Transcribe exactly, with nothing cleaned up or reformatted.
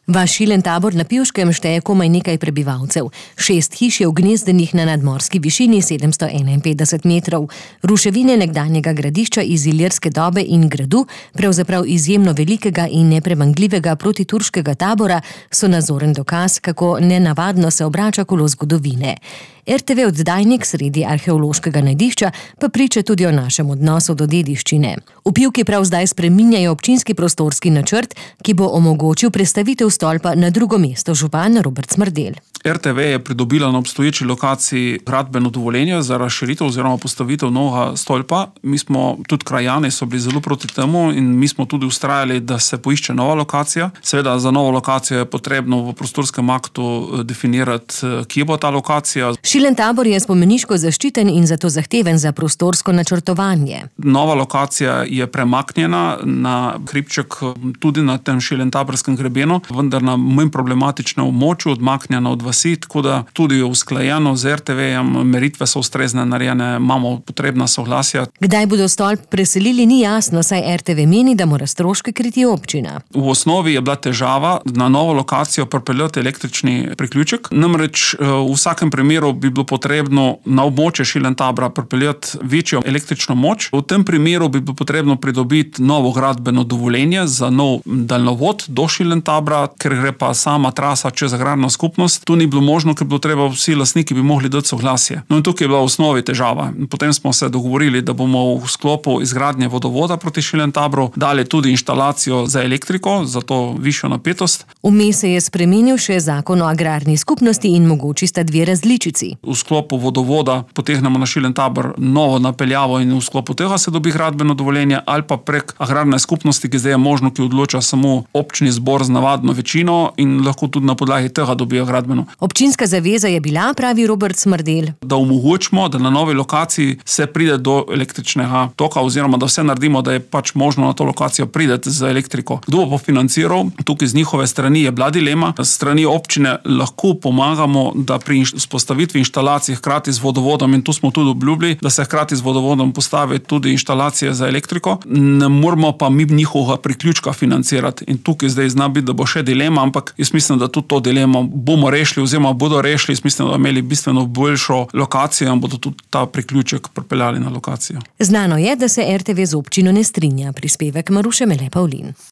Vaš Šilen Tabor na Pivškem šteje komaj nekaj prebivalcev. Šest hiš je ugnezdenih na nadmorski višini sedemsto enainpetdeset metrov. Ruševine nekdanjega gradišča iz ilirske dobe in gradu, pravzaprav izjemno velikega in nepremagljivega protiturškega tabora, so nazoren dokaz, kako nenavadno se obrača kolo zgodovine. er te ve oddajnik sredi arheološkega najdišča pa priča tudi o našem odnosu do dediščine. V Pivki prav zdaj spreminjajo občinski prostorski načrt, ki bo omogočil prestavitev stolpa na drugo mesto, župan Robert Smrdelj. er te ve je pridobila na obstoječi lokaciji gradbeno dovoljenje za razširitev oziroma postavitev novega stolpa. Mi smo, tudi krajani so bili zelo proti temu in mi smo tudi vztrajali, da se poišče nova lokacija. Seveda za novo lokacijo je potrebno v prostorskem aktu definirati, kje bo ta lokacija. Šilen Tabor je spomeniško zaščiten in zato zahteven za prostorsko načrtovanje. Nova lokacija je premaknjena na hribček tudi na tem Šilen Taborskem grebenu, vendar na manj problematičnem območju, odmaknjena od vasi, tako da tudi je usklajeno z er te vejem, meritve so ustrezne narejene, imamo potrebna soglasja. Kdaj bodo stolp preselili, ni jasno, saj er te ve meni, da mora stroške kriti občina. V osnovi je bila težava na novo lokacijo pripeljati električni priključek, namreč v vsakem primeru bi bilo potrebno na območje Šilen Tabora pripeljati večjo električno moč. V tem primeru bi bilo potrebno pridobiti novo gradbeno dovoljenje za nov daljnovod do Šilen Tabora, ker gre pa sama trasa čez agrarno skupnost. Tu ni bilo možno, ker bi bilo treba, vsi lastniki bi mogli dati soglasje. No in tukaj je bila v osnovi težava. Potem smo se dogovorili, da bomo v sklopu izgradnje vodovoda proti Šilen Taboru dali tudi inštalacijo za elektriko, za to višjo napetost. Vmes se je spremenil še zakon o agrarni skupnosti in mogoči sta dve različici. V sklopu vodovoda potegnemo na Šilen Tabor novo napeljavo in v sklopu tega se dobi gradbeno dovoljenje, ali pa prek agrarne skupnosti, ki zdaj je možno, ki odloča samo občni zbor z navadno večino in lahko tudi na podlagi tega dobijo gradbeno. Občinska zaveza je bila, pravi Robert Smrdelj, da omogočimo, da na novi lokaciji se pride do električnega toka oziroma da vse naredimo, da je pač možno na to lokacijo prideti z elektriko. Kdo bo financiral? Tukaj z njihove strani je bila dilema. S strani občine lahko pomagamo, da pri vzpostavitvi inštalacij hkrati z vodovodom, in tu smo tudi obljubili, da se hkrati z vodovodom postavi tudi inštalacije za elektriko. Ne moramo pa mi njihovega priključka financirati. In tukaj zdaj zna biti, da bo še dilema, ampak jaz mislim, da tudi to dilemo bomo rešili oziroma bodo rešili. Jaz mislim, da bodo imeli bistveno boljšo lokacijo in bodo tudi ta priključek pripeljali na lokacijo. Znano je, da se er te ve z občino ne strinja. Prispevek Maruše Mele Pavlin.